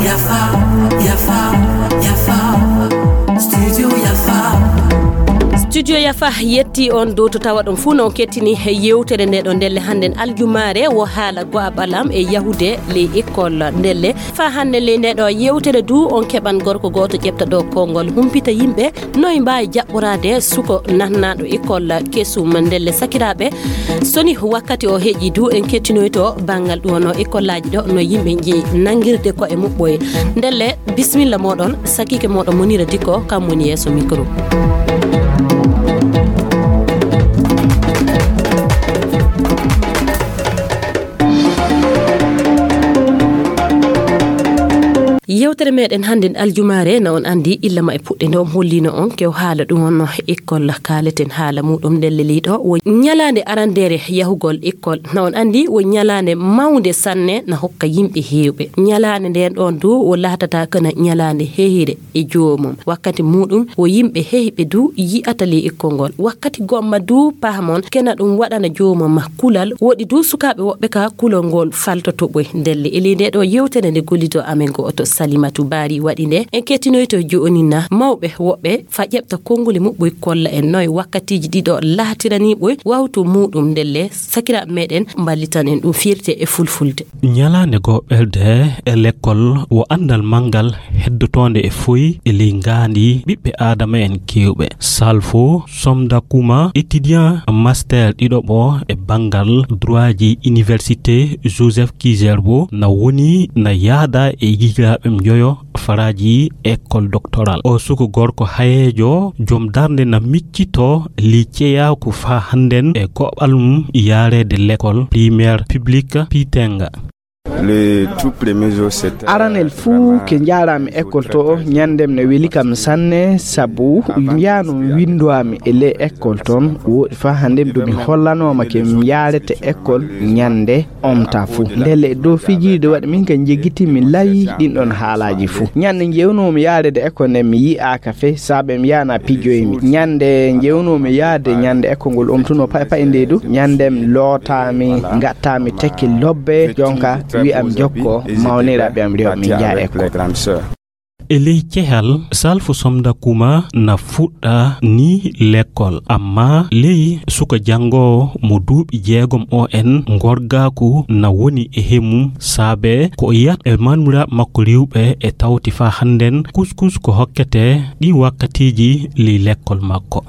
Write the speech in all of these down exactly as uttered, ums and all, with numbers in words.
Yafa, yafa, yafa. Studio yafa. Studio yafa yetti on dow to tawa ɗon fuu no on kettini he yewtere nde ɗo ndelle hannden aljumaare wo haala go'a ɓalam e yahude ley école ndelle. Fa hannde ley nde ɗo yewtere du on keɓan gorko gooto ƴeɓta ɗo konngol humpita yimɓe noy mbaawi jaɓɓoraade suko nahnaaɗo école kesum ndelle sakiraaɓe. Soni wakkati o heƴi du en kettinoyto banngal ɗum wonno école aji ɗo no yimɓe njeyi nanngirde koye muɓɓoye. Ndelle bismilla mooɗon sakiike mooɗon Monira Dikko kam woni yeeso micro. Yewtere meɗen hannden aljumaare na on anndi illa ma e puɗɗe nde on hollino on kew haala ɗum wonno école kaaleten haala muɗum ndelle leyɗo wo ñalaande arandeere yahugol école na on anndi wo ñalaande mawnde sanne na hokka yimɓe heewɓe. Ñalaande nden ɗon du wo laatata kana ñalaande hehire e joomum wakkati muɗum wo yimɓe hehɓe du yi'ata ley école ngol wakkati gomma du pahamon kena ɗum waɗana joomum ma kulal woɗi du sukaaɓe woɓɓe ka kulol ngol faltoto ɓoy ndelle e ley nde ɗo yewtere nde gollido amen go'oto Salimatu Bari waɗi nde en kettinoyto jo'oni na mawɓe woɓɓe fa ƴeɓta konnguli muɓɓoy kolla en noy wakkatiji ɗiɗo laatirani ɓoy wawtu muɗum ndelle sakiraaɓe meɗen mballitan en ɗum firte e fulfulde. Ñalaande goɓɓerde e lekkol wo anndal manngal heddotoonde e foy e ley ngaandi ɓiɓɓe aadama en keewɓe. Salfo Somdakuma, étudiant master ɗiɗoɓo e banngal droitji université Joseph Kizerbo, na woni na yaada e yigiraaɓe njoyo faraaji école doctoral. O suko gorko hayeejo, jom darnde na miccito ley ceyaaku faa hannden e goɓal mum yaareede lekkol primaire public Pitenga. Le tout premier jour, c'était, aranel fuu vraiment ke njaaraami école to o, ñanndem ne weli kam sanne, sabu mbiyaano winndoami e ley école toon, wooɗi faa hannden ɗum mi hollanooma ke mi yaarete école ñannde omta fuu. Ndelle e dow fijiiɗo waɗi min ka njegiti mi layi ɗin ɗon haalaaji fuu. Ñannde njewnoomi yaarede école nden mi yi'aaka fey, saabe mi yaana pijoymi. Ñannde njewnoomi yaade ñannde école ngol omtuno pay pay nde du, ñanndem lootaami, ngattaami tekki lobbe, jonka wi'am jokko, mawniraaɓe am rewɓe min njaha école. E ley cehal, Salfo Somdakuma na fuɗɗa ni lekkol, amma ley suka janngoowo mo duuɓi jeegom o en ngorgaaku na woni e hemum saabe ko o yiyata e mawniraaɓe makko rewɓe e tawti faa hannden kuskus ko hokkete ɗi wakkatiiji ley lekkol makko.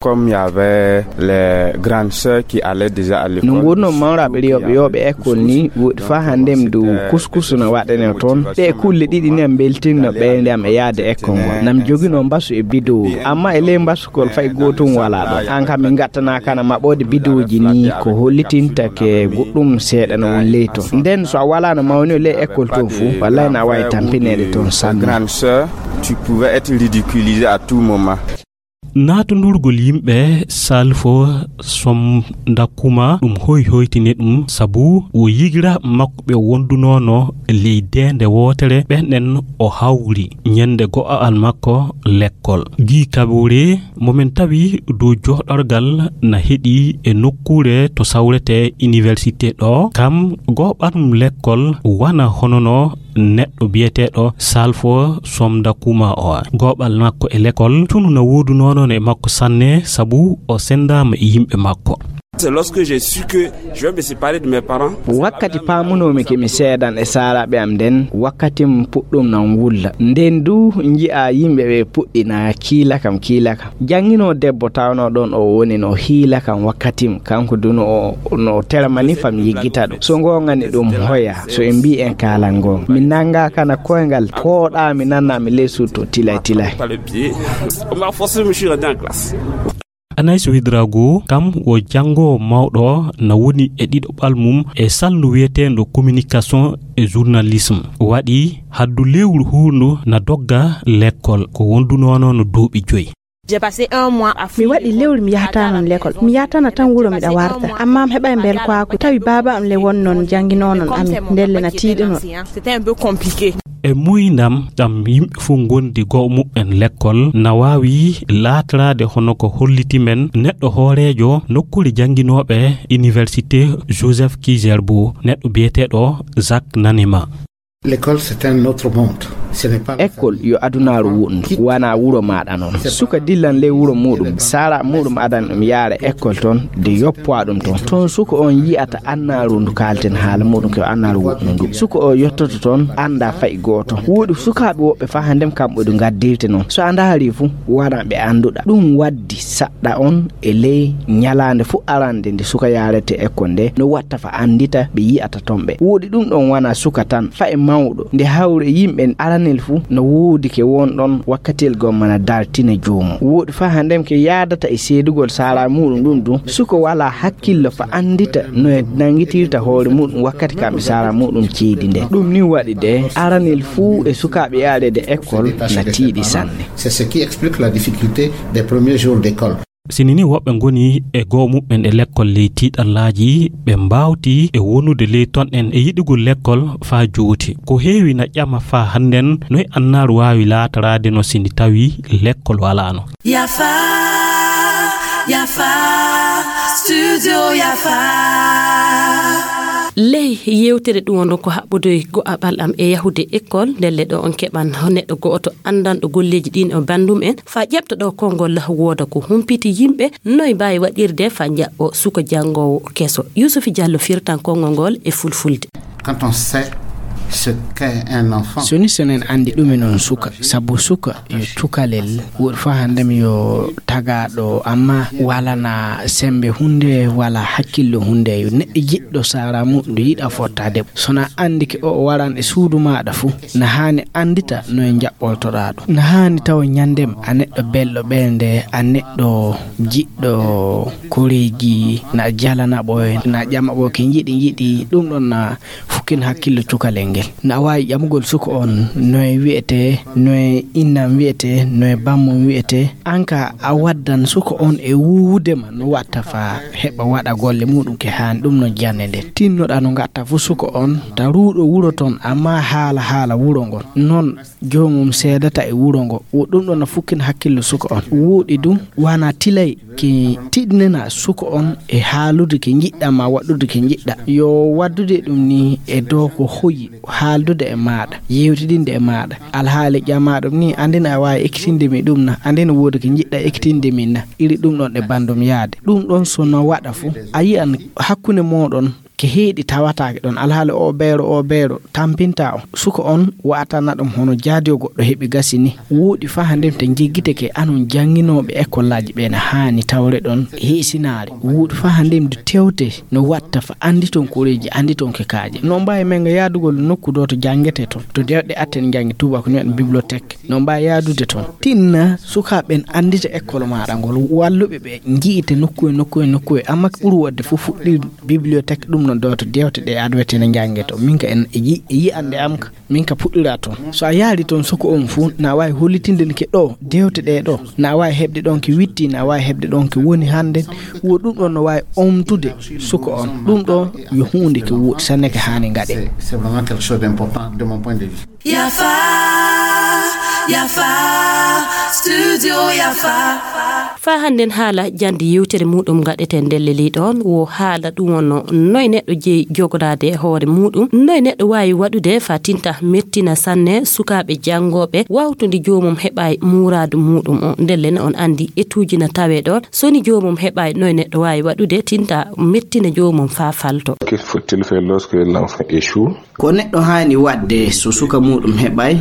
Comme il y avait les grandes sœurs qui allaient déjà à l'école. No ngurnoo mawraaɓe rewɓe yooɓe école ni, woɗi faa hanndem du kuskus no waɗanee toon. Ɗee kulle ɗiɗi ni am mbeltinno ɓeynde am e yaade école ngol. Nam joginoo mbasu e bidowru. Amma e ley mbasugol fay gootum walaa ɗon. An kam min ngattanaa kana maɓɓoode bidowji ni ko hollitinta ke goɗɗum seeɗa no won ley toon. Nden so a walaa no mawni ley école toon fuu, wallay na waawi tampineede toon sanne. Grande sœur, tu pouvais être ridiculisé à tout moment. Naatundurgol yimɓe Salfo Somdakuma ɗum hoy hoytini ɗum sabu wo yigiraaɓe makko ɓe wondunoono ley deende wootere ɓen ɗen o hawri ñande go'a'al makko lekkol. Gii Kabore mo men tawi dow jooɗorgal na heɗi e nokkuure to sawretee iniwersite ɗo kam go'o ɓalnum lekkol wana hono no neɗɗo biyeteeɗo Salfo Somdakuma o. Go'o ɓalnum makko e lekkol tunu na woodunoo noon e makko sanne sabu o senndaama e yimɓe makko. C'est lorsque j'ai su que je vais me séparer de mes parents. Wakkati paamunoomi ke mi seedan e saaraaɓe am nden, wakkati m puɗɗum nan wulla. Nden du nji'aa yimɓe ɓe puɗɗi na kiila kam, kiila kam. Jannginoo debbo tawnoo ɗon o woni no hiila kam wakkati m, kanko du no o, no o teramani fam yiggita ɗum. So ngoongani ɗum hoya, so en mbii en kaalan ngoonga. Mi nanngaa kana koyngal, pooɗaa mi nannaa mi ley suuto tilay tilay. Par le pied. On m'a forcé, je me suis rendu en classe. Anaïs Ouédraogo, kam wo janngoowo mawɗo na woni e ɗiɗaɓal mum e salndu wiyeteendo communication e journalisme. Waɗi haddu lewru huundu na dogga lekkol ko wondunoono no duuɓi joyi. J'ai passé un mois à Mi waɗi lewru mi yahata noon lekkol. Mi yahtana tan wuro miɗa warta. Amma mi heɓay mbelkaaku. Tawi baaba am le won noon jannginoo noon amin. Ndelle na tiiɗunoo. C'était un peu compliqué. E muuyndam ɗam yimɓe fof ngondi goo muɓɓen lekkol, na waawi laatraade hono ko holliti men neɗɗo hooreejo nokkuure jannginooɓe Université Joseph Kizerbo, neɗɗo biyeteeɗo Jacques Nanema. L'école, c'est un autre monde. Ce n'est pas la Ekkol famille. Yo adunaaru wuɗndu, wonaa wuro maaɗa noon. Suka dillan ley wuro muuɗum, sara muuɗum adan ɗum yaara ekkol toon, de yoppowa ɗum toon. Toon suka on yi'ata annaaru ndu kaalten haala muuɗum ko annaaru wuɗndu ndu. Suka o yottoto toon, annda fay gooto. Woodi sukaaɓe woɓɓe faa hannden kamɓe du ngaddirte noon. So a ndaari fu, wonaa ɓe annduɗa. Ɗum waddi saɗɗa on e ley ñalaande fu arande nde suka yaarete ekkol nde, no watta fa anndita ɓe yi'ata toon ɓe. Woodi ɗum ɗon wonaa suka tan, fa e mawɗo. Nde hawre yimɓe aranel fu no woodi ke won ɗon wakkatel gomma na dartina joomum. Woodi fa hannden ke yaadata e seedugol sara muuɗum ɗum ɗum. Suka walaa hakkillo fa anndita no e nanngitirta hoore muuɗum wakkati kamɓe sara muuɗum ceedi nde. Ɗum ni waɗi de, aranel fuu e sukaaɓe yaareede ekkol na tiiɗi sanne. C'est ce qui explique la difficulté des premiers jours d'école. Sini ni woɓɓe ngoni e goo muɓɓen e lekkol ley tiiɗallaaji, ɓe mbaawti e wonude ley ton en e yiɗugol lekkol faa jooti. Ko heewi na ƴama faa hannden noy annaaru waawi laataraade no sini tawi lekkol walaano. Yafa, Yafa, Studio Yafa. Ley yewtere ɗum wonno ko haɓɓude go'aɓal am e yahude ekkol, ndelle ɗo on keɓan neɗɗo go'oto anndanɗo golleeji ɗin o banndum en, faa ƴeɓta ɗo konngol wooda ko humpiti yimɓe, noy mbaawi waɗirde faa njaɓɓo suka janngoowo keso. Yuusufi Jallo firtan konngol ngol e fulfulde. Quand on sait ce qu'est un enfant. So ni so en anndi ɗumen on suka, sabu suka yo cukalel, woɗi faa hannden yo tagaaɗo, amma walana semmbe huunde, wala hakkillo huunde, yo neɗɗo jiɗɗo sara muuɗum, yiɗa fottaade. So na anndi ke o waran e suudu maaɗa fu, na haani anndita no e njaɓɓoltoɗaa ɗum. Na haani tawa ñanndem a neɗɗo belɗo ɓernde, a neɗɗo jiɗɗo koreeji, na jalana ɓoy, na ƴama ɓoy ke njiɗi, njiɗi, ɗum ɗon na fukkin hakkillo cukalel ngel. Na waawi ƴamugol suka on, noye wi'etee, noye innam wi'etee, noye bammum wi'etee. An ka a waddan suka on e wuuwude ma no watta faa heɓa waɗa golle muuɗum ke haani, ɗum no jannde nde. Tinnoɗaa no ngatta fu suka on, ta ruuɗo wuro ton, amma haala haala wuro ngon. Non joomum seedata e wuro ngo. Wo ɗum ɗon na fukkin hakkillo suka on. Wuuɗi ɗum, wana tilay ke tiɗnina suka on e haalude ke njiɗɗa ma waɗude ke njiɗɗa. Yo waddude ɗum ni e dow ko hoyi haaldude e maaɗa, yewtidinde e maaɗa. Alhaali ƴamaaɗo ni, anndina a waawi ekkitinde mi ɗum na, anndina woodi ke njiɗɗa ekkitinde min na, iri ɗum ɗon e banndum yaade. Ɗum ɗon so no waɗa fu, a yi'an hakkunde mooɗon ke heeɗi tawataake ɗon. Alhaali o beero, o beero tampinta on. Suka on wa'atana ɗum hono jaadiyo goɗɗo heɓi gasi ni. Wuuɗi faa hannden te njeggite ke anon jannginooɓe ekollaaji ɓe na haani tawre ɗon heesinaare. Wuuɗi faa hannden du tewte no watta fa annditon koreeji, annditon ke kaaje. No mbaawi men nga yaadugol nokku ɗo to janngete ton. To dewɗe atten njanngi tuuba ko noon bibliothèque. No mbaawi yaadude ton. Tinna sukaaɓe ɓen anndita ekkol maaɗa ngol. Walluɓe ɓe nji'ite nokku e nokku e nokku e. Amma ko ɓuri waɗde fof fuɗɗir bibliothèque ɗum no ɗo to dewte ɗe adwete ne njannge to. Min ka en e yi-, e yi'ande am ka. Min ka puɗɗira toon. So a yaari toon suka on fuu, na waawi hollitinde ke ɗo dewte ɗe ɗo. Na waawi heɓde ɗon ke witti, na waawi heɓde ɗon ke woni hannde. Wo ɗum ɗon no waawi omtude suka on. Ɗum ɗo yo huunde ke wuuɗi sanne ke haani ngaɗe. C'est, c'est vraiment quelque chose d'important de mon point de vue. Yafa, Yafa, Studio Yafa. Faa hannden haala jannde yewtere muuɗum ngaɗeten ndelle ley ɗoon, wo haala ɗum wonno noy neɗɗo jeyi jogodaade e hoore muuɗum, noy neɗɗo waawi waɗude faa tinta mettina sanne sukaaɓe janngooɓe, waawtude joomum heɓaay muuraadu muuɗum o. Ndelle ne on anndi etuuji na tawee ɗoon, so ni joomum heɓaay noy neɗɗo waawi waɗude tinta mettina joomum faa falto. Que faut-il faire lorsque l'enfant échoue? Ko neɗɗo haani waɗde so suka muuɗum heɓaay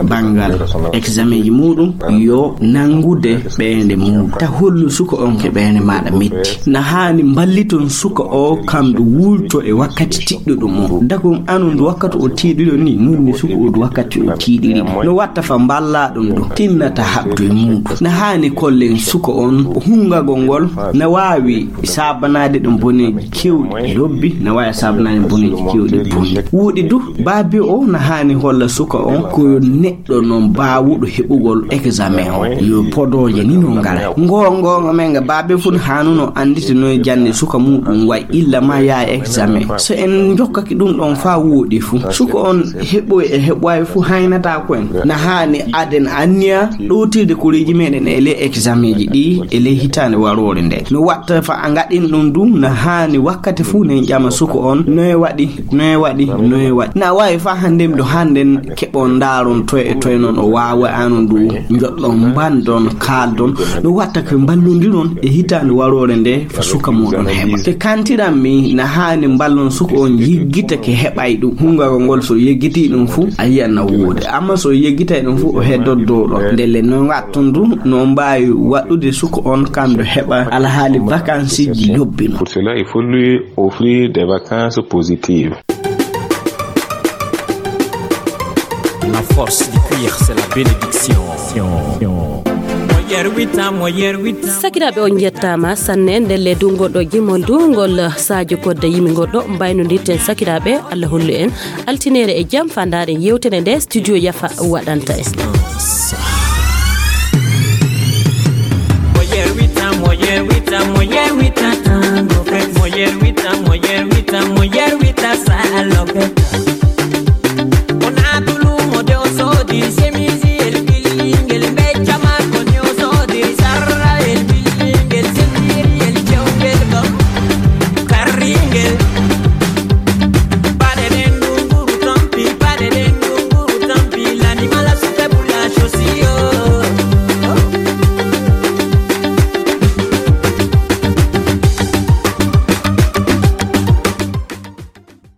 banngal eksamenji muuɗum, yo nanngude ɓeynde mum, ta hollu suka on ke ɓeynde maaɗa metti. Na haani mballiton suka o kam ndu wulto e wakkati tiɗɗuɗum o. Dagum anon ndu wakkati o tiiɗiɗo ni, nun ni suka o ndu wakkati o tiiɗiri. No watta fa mballaa ɗum ɗum, tinnata haɓdu e muuɗum. Na haani kollen suka on hunngagol ngol, na waawi saabanaade ɗum boneeji keewɗi lobbi, na waawi saabanaade boneeji keewɗi bonɗi. Wuuɗi du, baabi o na haani holla suka on ko yo neɗɗo non baawuɗo heɓugol eksamen o, yo podooje ni no ngara. Ngo Kongonga men nga baabe fun hanuno anditi noy jande suka muɗum way illa ma ya examen. So en jokkaki ɗum ɗon fa woɗi fu. Suka on heɓoy e heɓoy fu haynata ko en. Na hani aden anniya ɗotirde koreji meɗen e le examen ji ɗi e le hitande warore nde. No watta fa a ngaɗin ɗum ɗum na hani wakkati fu ne ƴama suka on noy waɗi, noy waɗi, noy waɗi. Na wawi fa hande mi ɗo handen keɓon ndaron toye e toye non o wawa anon ɗum joɗɗon mbandon kaldon. No watta ko mballodiron e hitande warore nde fa suka muɗon heɓa. Ke kantiran mi na hani mballon suka on yiggita ke heɓay ɗum. Hungago ngol so yeggiti ɗum fu a yiyan na woodi. Amma so yeggitay ɗum fu o heddot dow ɗon. Ndelle no ngatton ɗum no mbawi waɗude suka on kam ɗo heɓa alhaali vacances ji lobbino. Pour cela, il faut lui offrir des vacances positives. La force du cuir, c'est la bénédiction. Sakiraaɓe, on njettaama sanne. Ndelle du ngol ɗo jimol du ngol Sadio Kodda yimi ngol ɗo mbaynodirten sakiraaɓe. Allah hollu en altinere e jam fa ndaaren yewtere nde studio Yafa waɗanta en. Mo yerwita, mo yerwita, mo yerwita tango. Mo yerwita, mo yerwita.